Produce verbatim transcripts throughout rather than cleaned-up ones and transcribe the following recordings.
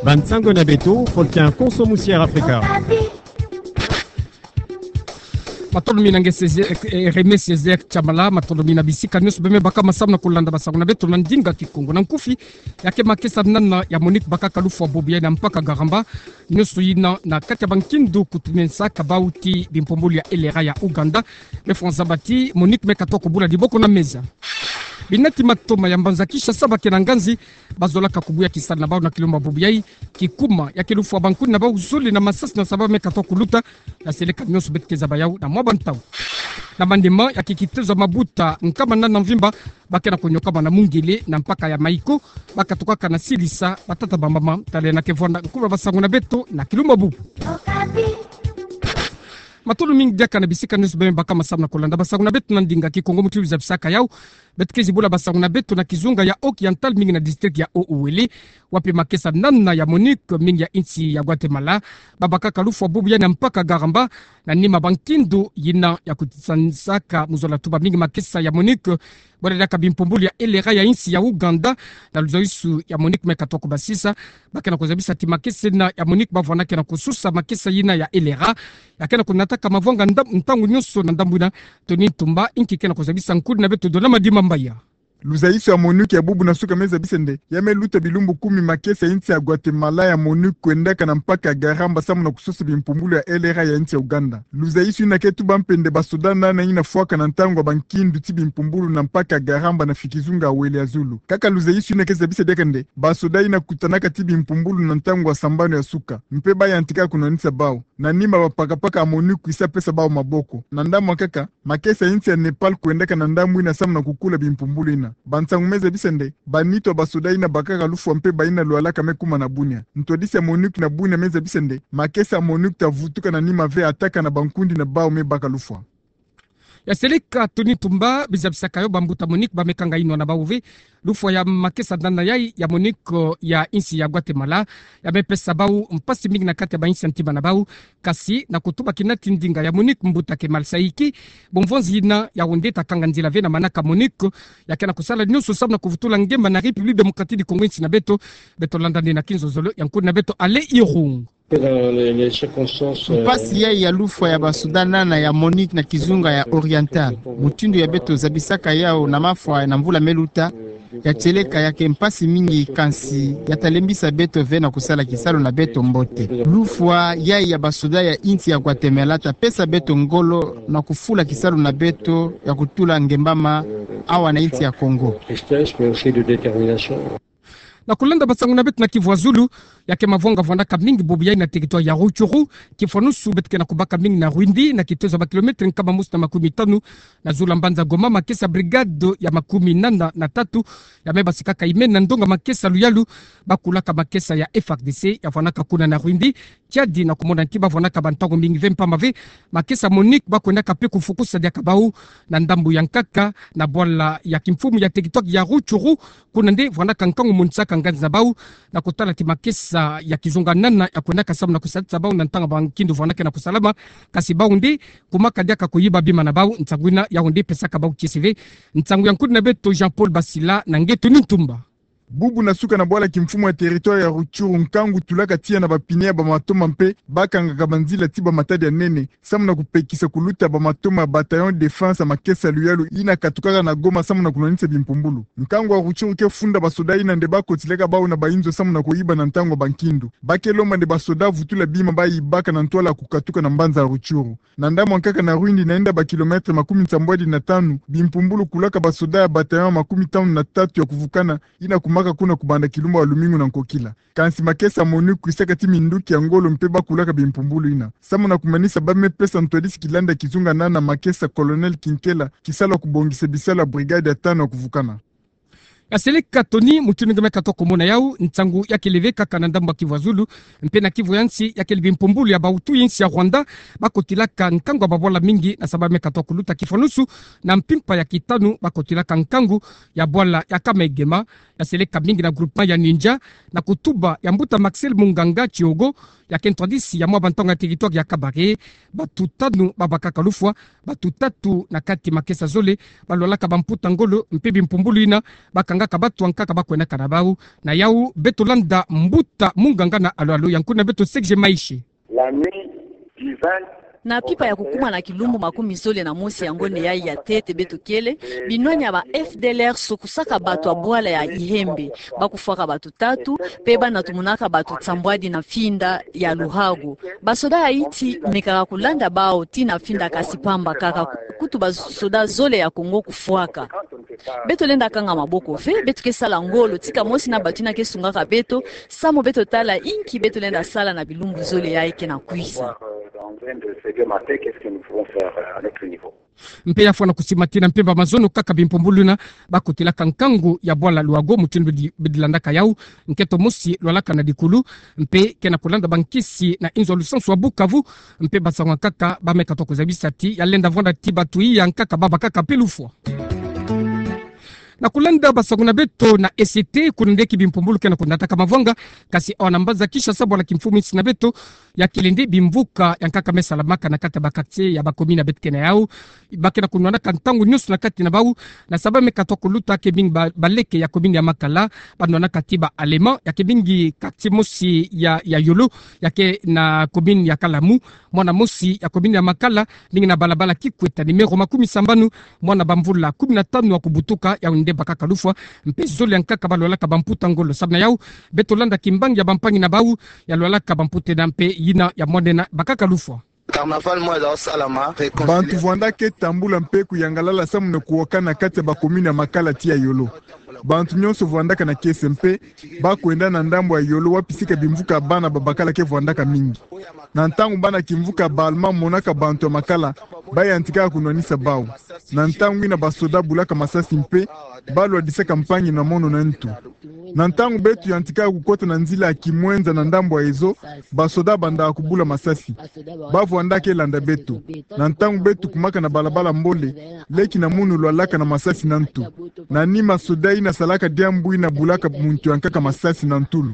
Bansango na beto, Faustin Konso Musier Africa. Matondo mingi na nge Césaire, eh, Hermé Césaire Chamala, matondo mingi na bisika nyonso bê me baka masamu na kolanda bansango na beto na ndinga Kikongo. Na nkufi, ya ke makesa nana ya MONUC bakaka lufwa bubu yayi na mpaka Garamba, nyonso yina na kati ya bankindu kutunisaka bau ti bimpumbulu ya L R A ya Ouganda. Me fwa nzaba ti MONUC me katuka kubula diboko na meza. Bina ti matoma ya mbanza Kinshasa ba ke na nganzi, bazolaka kubuya kisalu na bau na kilumbu bubu yayi, kikuma ya ke lufwa bankuni na bau zole na masasi na saba me katuka kuluta, na seleka nyonso beto ke zaba yau na mwa bantau. Na manima ya ke kitezo ya mabuta nkama nana mvimba, ba ke na konyokama na mungele na mpaka ya Maiko, ba katukaka na silisa batata bamama. Tala na ke vwanda nkumbu ya bansango na beto na kilumbu bubu. Matondo mingi diaka na bisika nyonso bê me baka masamu na kolanda bansango na beto na ndinga Kikongo. Mutindu zabisaka yau, beto ke zibula bansango na beto na kizunga ya Haut-Oriental, mingi na district ya Haut-Uélé, wapi makesa nana ya MONUC mingi ya insi ya Guatemala babakaka lufwa bubu yayi na mpaka Garamba, na nima bankindu yina ya kutisanisaka mu zola tuba mingi makesa ya MONUC bole diaka bimpumbulu ya L R A ya insi ya Ouganda. Na luzolisu ya MONUC me katuka kubasisa, ba ke na kuzabisa ti makesa yina ya MONUC bavwandaka na kususa makesa yina ya L R A, ya ke na kunataka mavwanga nda-, ntangu nyonso na ndambu yina. Tony Ntumba, inki ke na kuzabisa nkudi na beto Dona Madimba Mbaya. Luzolisu ya MONUC ya bubu na suka me zabisa nde ya me luta bilumbu kumi makesa insi ya Guatemala ya MONUC kwendaka na mpaka ya Garamba samu na kususa bimpumbulu ya L R A ya insi ya Ouganda. Luzolisu yina ke tuba mpe nde basoda nana yina fwaka na ntangu ya bankindu ti bimpumbulu na mpaka ya Garamba na fikizunga ya Uélé ya zulu. Kaka luzolisu yina ke zabisa diaka nde basoda yina kutanaka ti bimpumbulu na ntangu ya sambanu ya suka, mpe ba yantika kunwanisa bau. Na nima bapakapaka ya MONUC kwisa pesa bau maboko. Na ndambu ya nkaka, makesa insi ya Népal kwendaka na ndambu yina samu na kukula bimpumbulu yina. Bansangu me zabisa nde banitu ya basoda yina bakaka lufwa mpe bayina lwalaka me kuma na Bunia. Ntwadisi ya MONUC na Bunia me zabisa nde makesa ya MONUC ta vutuka na nima ve attaque na bankundi na bau me baka lufwa. Ya seleka Tony Ntumba, bizabisaka yo bambuta MONUC ba me kanga inwa na bau ve lufwa ya makesa nana yayi ya MONUC ya insi ya Guatemala, ya me pesa bau mpasi mingi na kati ya bainsi ya ntima na bau. Kasi na kutuba kina ti ndinga ya MONUC, mbuta Kemal Saïki, bumvonzi yina yau nde ta kanga nzila ve na manaka MONUC ya ke na kusala nyonso samu na kuvutula ngemba na République Démocratique du Congo, insi na beto. Beto landa nde na kinzonzolo ya nkudi na beto Alain Irung. Mpasi yayi ya lufwa ya basoda nana ya MONUC na kizunga ya Oriental, mutindu ya beto zabisaka yau na mafwa na mvula me luta, ya tieleka ya ke mpasi mingi, kansi ya ta lembisa beto ve na kusala kisalu na beto mbote. Lufwa yayi ya basoda ya insi ya Guatemala ta pesa beto ngolo na kufula kisalu na beto ya kutula ngemba ma awa na insi ya Congo. Na kulanda bansangu na beto na kivu ya zulu, ya ke mavwanga vwandaka mingi bubu yayi na territoire ya Rutshuru. Kifwanusu beto ke na kubaka mingi na Rwindi, na kitezo ya ba kilomètre nkama mosi na makumi tanu na zulu ya mbanza Goma, makesa brigade ya makumi nana na tatu ya me basikaka imeni na ndonga makesa luyalu ba kulaka makesa ya F A R D C ya vwandaka kuna na Rwindi. Kiadi na kumona ti ba vwandaka bantangu mingi ve mpamba ve makesa MONUC ba kwendaka mpe kufukusa diaka bau na ndambu ya nkaka na bwala ya kimfumu ya territoire ya Rutshuru. Kuna nde vwandaka nkangu monisaka nganzi na bau na kutala ti makesa ya kizunga nana ya kwendaka samu na kusadisa bau na ntangu ya bankindu vwandaka na kusalama. Kasi bau nde kumaka diaka kuyiba bima na bau. Nsangu yina yau nde pesaka bau kiese ve. Nsangu ya nkudi na beto Jean-Paul Basila na nge Tony Ntumba. Bubu na suka na bwala kimfumu ya territoire ya Rutshuru, nkangu tulaka tiya na bapine ya bamatoma mpe ba kangaka banzila ti bamatadi ya nene samu na kupekisa kuluta bamatoma ya bataillon défense ya makesa luyalu yina katukaka na Goma samu na kunwanisa bimpumbulu. Nkangu ya Rutshuru ke funda basoda yina nde ba kotilaka bau na bayinzo samu na kuyiba na ntangu ya bankindu. Ba ke lomba nde basoda vutula bima ba yibaka na ntwala ya kukatuka na mbanza ya Rutshuru. Na ndambu ya nkaka na Rwindi, na inda ba kilomètre makumi nsambwadi na tanu, bimpumbulu kulaka basoda ya bataillon makumi tanu na tatu ya kuvukana yina kumaka kuna kubanda kilumbu ya lumingu na nkokila. Kansi makesa MONUC kwisaka ti minduki ya ngolo mpe ba kulaka bimpumbulu yina. Samu na kumanisa, ba me pesa ntwadisi kilanda kizunga nana makesa Colonel Kinkela kisalu ya kubongisa bisalu ya brigade ya tanu ya kuvukana. Ya seleka Tony, mutindu nge me katuka kumona yau, nsangu ya kele ve kaka na ndambu ya kivu ya zulu, mpe na kivu ya nsi ya kele bimpumbulu ya bautu ya insi ya Rwanda ba kotilaka nkangu ya babwala mingi na saba me katuka kuluta. Kifwanusu na mpimpa ya kitanu ba kotilaka nkangu ya bwala ya Kamegema, ya seleka mingi na groupement ya Ninja, na kutuba ya mbuta Maxel Munganga Tiogo, ya ke ntwadisi ya mwa bantonga territoire ya Kabare. Bato tanu babakaka lufwa, bato tatu na kati makesa zole balwalaka bamputa ngolo, mpe bimpumbulu yina bakangaka bato ankaka bakwenaka na bau. Na yau beto landa mbuta munganga na alo-alo ya nkuna beto Serge Maishe. Na pipa ya kukuma na kilumbu makumi zole na mosi ya ngonde yayi ya ntete beto kele, binwani ya ba F D L R sokusaka bato ya bwala ya Ihembe, bakufwaka bato tatu, mpe banatumunaka bato nsambwadi na mfinda ya Luhago. Basoda ya Haïti mekaka kulanda bau tii na mfinda, kasi pamba kaka, kutu basoda zole ya Congo kufwaka. Beto lenda kanga maboko ve, beto ke sala ngolo tika mosi na bato yina ke sungaka beto, samu beto tala inki beto lenda sala na bilumbu zole yayi ke na kwisa. Mpe ya fwana kusimatina mpemba mazono kaka bimpumbulu yina bakotelaka nkangu ya bwala Luhago, mutindu bidi-, bidilandaka yau, nkento mosi lwalaka na dikulu, mpe ke na kulanda bankisi na inzo ya lusansu ya Bukavu, mpe basango ankaka bameka toko zabisa ti ya lenda vwanda ti bato iya ankaka babakaka mpe lufwa. Na kulanda basango na beto na E C T, kuna nde ki bimpumbulu ke na kunataka mavwanga, kasi awa na mbanza Kinshasa, bwala kimfumu insi na beto, ya kele nde bimvuka ya nkaka me salamaka na kati ya ba quartier ya ba commune ya beto ke na yau. Ba ke na kunwanaka ntangu nyonso na kati na bau, na saba meka toko luta ke mingi ba-, baleke ya commune ya Makala, banwanaka ti ba Allemands, ya ke mingi quartier mosi ya, ya Yolo, ya ke na commune ya Kalamu, mwana mosi ya commune ya Makala, mingi na balabala Kikweta numéro makumi sambanu, mwana bamvula kumi na tanu ya kubutuka, yau nde bakaka lufwa, mpe zole ankaka balwalaka bamputa ngolo. Samu na yau, beto landa kimbangi ya bampangi na bau, ya lwalaka bamputa yina mpe yina ya mwana yina bakaka lufwa. Bantu vwandaka tambula mpe kuyangalala samu na kuwokana kati ya ba commune ya Makala tii ya Yolo. Bantu nyonso vwandaka na kiese mpe bakwenda na ndambu ya Yolo wapi sika bimvuka ya bana babakala ke vwandaka mingi. Na ntangu bana kimvuka ya ba Allemands monaka bantu ya Makala, bayantikaka kunwanisa bau. Na ntangu yina basoda bulaka masasi mpe balwadisaka mpangi na mono na ntu. Na ntangu beto yantikaka kukota na nzila ya Kimwenza na ndambu ya Ezo, basoda bandaka kubula masasi. Bavwandaka ke landa beto. Na ntangu beto kumaka na balabala Mbole, leki na munu lwalaka na masasi na ntu. Na nima soda yina salaka diambu yina bulaka muntu ya nkaka masasi na ntulu.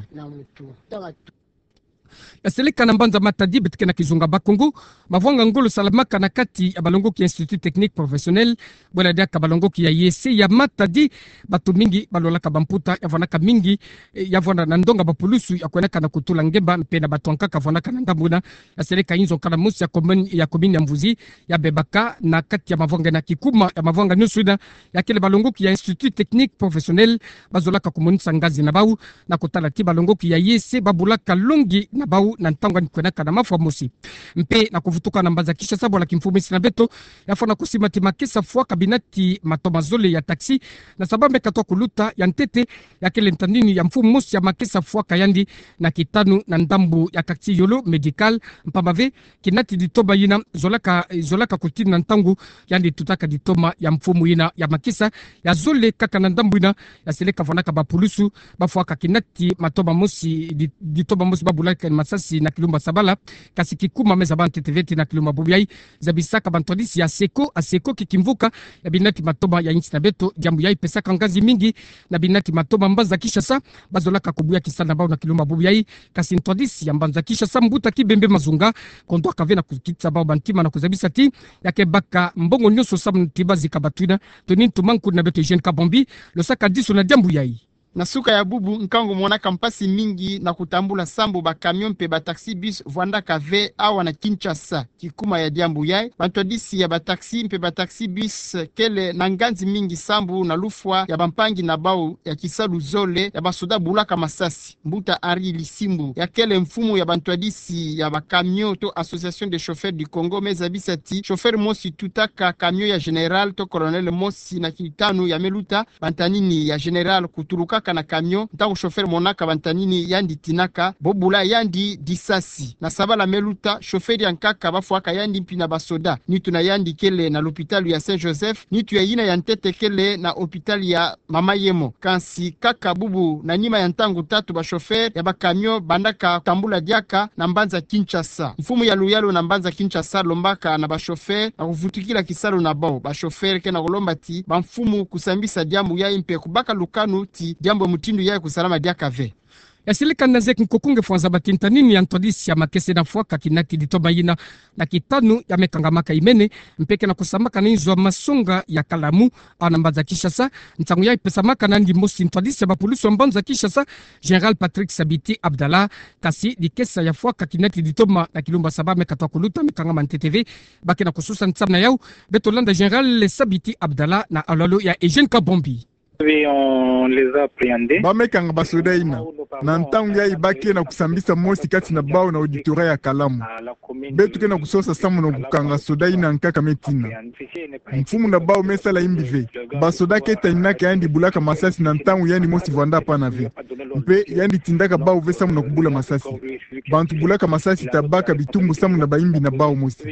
Ya seleka na mbanza Matadi, beto ke na kizunga Bas-Congo, mavwanga ngolo salamaka na kati ya balongoki ya Institut Technique Professionnel, bwela diaka balongoki ya I E C ya Matadi. Bato mingi balwalaka bamputa, ya vwandaka mingi, eh, ya vwanda na ndonga bapulusu ya kwenaka na kutula ngemba, mpe na bato ankaka vwandaka na ndambu yina. Ya seleka inzo nkala mosi ya commune, ya commune ya Mvuzi, ya bebaka na kati ya mavwanga na kikuma ya mavwanga nyonso yina, ya kele balongoki ya Institut Technique Professionnel bazolaka kumonisa ngazi na bau, na kutala ti balongoki ya I E C babulaka longi na bau na ntangu yandi kwenaka na mafwa mosi. Mpe na kuvutuka na mbanza Kinshasa, bwala kimfumu insi na beto, ya fwana kusima ti makesa fwaka binati matoma zole ya taxi, na saba meka toko luta ya ntete, ya kele ntanini ya mfumu mosi ya makesa fwaka yandi na kitanu na ndambu ya quartier Yolo Médical, mpamba ve kinati ditoma yina zolaka, zolaka kutini na ntangu yandi tutaka ditoma ya mfumu yina ya makesa. Ya zole kaka na ndambu yina, ya seleka vwandaka bapulusu bafwaka kinati matoma mosi, di-, ditoma mosi babulaka masasi na kilumbu Sabala, kasi kikuma me zaba ntete ve ti na kilumbu bubu yayi. Zabisaka bantwadisi ya Asseco, Asseco ki kimvuka ya binati matoma ya insi na beto, diambu yayi pesaka ngazi mingi na binati matoma mbanza Kinshasa, bazolaka kubuya kisa na bau na kilumbu bubu yayi. Kasi ntwadisi ya mbanza Kinshasa, mbuta Kibembe Mazunga, kondwaka ve na kukitisa bau bantima na kuzabisa ti ya ke baka mbongo nyonso samu ti bazika bato yina. Tony Ntumwa, nkuna beto Eugène Kabambi, losaka diso na diambu yayi. Na suka ya bubu, nkangu monaka mpasi mingi na kutambula sambu ba camion mpe ba taxi bus vwandaka ve awa na Kinshasa. Kikuma ya diambu yayi, bantwadisi ya ba taxi mpe ba taxi bus kele na ngazi mingi sambu na lufwa ya bampangi na bau ya kisalu zole ya basoda bulaka masasi. Mbuta Henri Lisimbu, ya kele mfumu ya bantwadisi ya ba camion to Association des Chauffeurs du Congo, me zabisa ti chauffeur mosi tutaka camion ya général to colonel mosi na kitanu ya me luta bantanini ya général kutulukaka na camion, ntangu chauffeur monaka bantanini yandi tinaka, bo bula yandi disasi. Na sabala me luta, chauffeur ya nkaka bafwaka yandi mpi na basoda. Nitu na yandi kele na lopitalo ya Saint Joseph, nitu ya yina ya ntete kele na hôpital ya Mama Yemo. Kansi kaka bubu, na nima ya ntangu tatu, ba chauffeur ya ba camion bandaka tambula diaka na mbanza Kinshasa. Mfumu ya luyalu na mbanza Kinshasa lombaka na ba chauffeur na kuvutukila kisalu na bau. Ba chauffeur ke na kulomba ti bamfumu kusambisa diambu yayi mpe kubaka lukanu ti diambu mutindu yayi kusalama diaka ve. Ya seleka na zeki nkoko nge fwanza ba tintanini ya ntwadisi ya makese na fwaka kinaki ditoma yina na kitanu ya me kangamaka imene, mpe ke na kusamaka na inzo ya masonga ya Kalamu, awa na mbanza Kinshasa. Ntangu yayi pesamaka na yandi mosi ntwadisi ya bapulusu ya mbanza Kinshasa, Général Patrick Sabiti Abdallah. Kasi dikesa ya fwaka kinaki ditoma na kilumbu ya saba me katwa kuluta me kangama ntete ve ba ke na kusosa nsambu na yau. Beto landa Général Sabiti Abdallah na alalo ya Eugène Kabombi. Oui, on les a appréhendés. Ba me kanga basoda yina. Na ntangu yayi ba ke na kusambisa mosi kati na bawu na auditorat ya Kalamu. Beto ke na kusosa samu na kukanga soda yina nkaka me tina. Mfumu na bawu me sala imbi ve. Basoda ke taninaka yandi bulaka masasi na ntangu yandi mosi vwanda pana ve. Mpe yandi tindaka bawu ve samu na kubula masasi. Bantu bulaka masasi ta baka bitumbu samu na bayimbi na bawu mosi.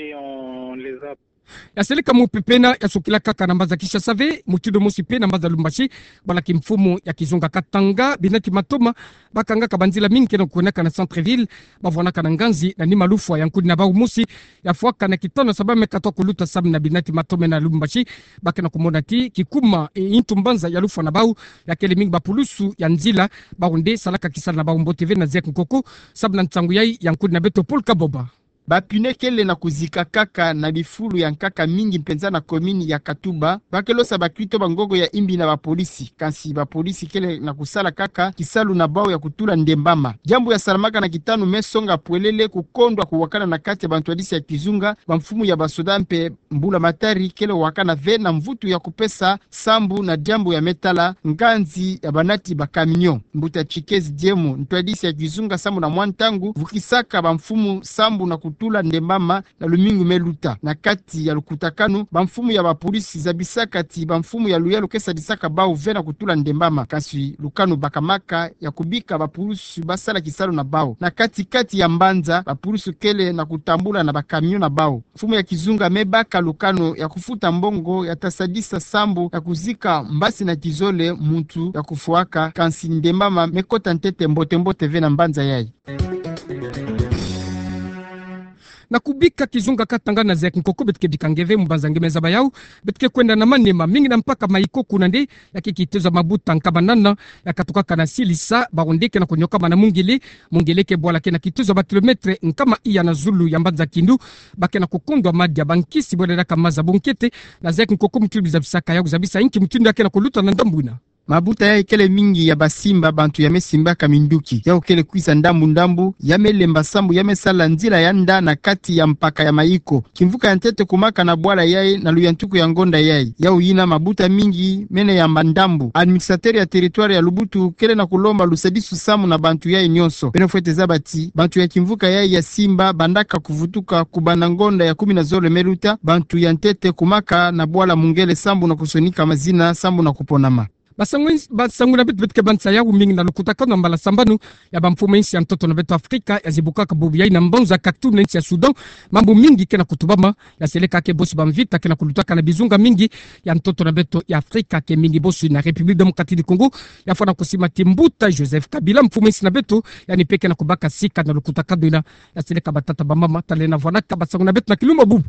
Ya seleka mupepe yina ya sukila kaka na mbanza Kinshasa ve, mutindu mosi mpe na mbanza Lubumbashi, bwala kimfumu ya Kizunga Katanga, binati Matoma, ba kangaka banzila mingi ke na kukwendaka na centre-ville, ba vwanaka na nganzi na nima lufwa ya nkuni na bawu mosi ya fwaka na kitanu ya saba me katwa kuluta samu na binati Matoma na Lubumbashi. Ba ke na kumona ti kikuma, e, intu mbanza ya lufwa na bawu, ya kele mingi bapulusu ya nzila, bawu nde salaka kisalu na bawu mbote ve na zeki nkoko, samu na nsangu yayi ya nkuni na beto Paul Kaboba. Ba pneu kele na kuzika kaka na bifulu ya nkaka mingi mpenza na commune ya Katuba. Ba ke losa bakito bangongo ya imbi na bapolisi, kasi bapolisi kele na kusala kaka kisalu na bawu ya kutula ndembama. Diambu ya salamaka na kitanu me songa pwelele kukondwa kuwakana na kati ya bantwadisi ya Kizunga, bamfumu ya basoda mpe mbula matari kele wakana ve na mvutu ya kupesa sambu na diambu ya me tala nganzi ya banati ba camion. Mbuta Chikezi Diemo, ntwadisi ya Kizunga, samu na mwa ntangu vukisaka bamfumu sambu na kutula ndembama na lumingu me luta. Na kati ya lukutakanu, bamfumu ya bapolisi zabisaka ti bamfumu ya luyalu ke sadisaka bawu ve na kutula ndembama. Kasi lukanu bakamaka ya kubika bapulusu ba sala kisalu na bawu. Na kati-kati ya mbanza, bapulusu kele na kutambula na ba camion na bawu. Mfumu ya Kizunga me baka lukanu ya kufuta mbongo ya ta sadisa sambu ya kuzika mbasi na kizole muntu ya kufwaka, kasi ndembama me kota ntete mbote-mbote ve na mbanza yayi. Na kubika Kizunga Katanga na zeki nkoko, beto ke bika nge ve mu mbanza nge me zaba yawu. Beto ke kwenda na Maniema, mingi na mpaka Mayiko, kuna nde ya ke kitezo ya mabuta nkama nana ya katukaka na silisa, bawu nde ke na kunyokama na mungele. Mungele ke bwala ke na kitezo ya ba kilomètre nkama iya na zulu ya mbanza Kindu. Ba ke na kukondwa madia, bankisi, bwala diaka maza, bunkete. Na zeki nkoko, mutindu zabisaka yawu, zabisa inki mutindu ya ke na kuluta na ndambu yina. Mabuta yayi kele mingi ya basimba, bantu ya me simbaka minduki. Yawu kele kwiza ndambu-ndambu, ya me lemba sambu ya me sala nzila ya nda na kati ya mpaka ya Mayiko. Kimvuka ya ntete kumaka na bwala yayi na luyantuku ya ngonda yayi. Yawu yina mabuta mingi mene yamba ndambu. Administrateur ya territoire ya Lubutu kele na kulomba lusadisu samu na bantu yayi nyonso. Beno fwete zaba ti bantu ya kimvuka yayi ya simba bandaka kuvutuka kubanda ngonda ya kumi na zole me luta, bantu ya ntete kumaka na bwala Mungele sambu na kusonika mazina sambu na kuponama. Basangu-, basangu na beto, beto ke bansa yawu mingi na lukutakanu ya mbala sambanu ya bamfumu ya insi ya ntoto na beto Afrika ya zibukaka bubu yayi na mbanza Khartoum na insi ya Soudan. Mambu mingi ke na kutubama, ya seleka ke bosi bamvita ke na kulutaka na bizunga mingi ya ntoto na beto ya Afrika, ke mingi bosi na République démocratique du Congo. Ya fwana kusima ti mbuta Joseph Kabila, mfumu ya insi na beto, yandi mpe ke na kubaka sika na lukutakanu yina. Ya seleka batata bamama, tala na vwanaka basangu na beto na kilumbu bubu.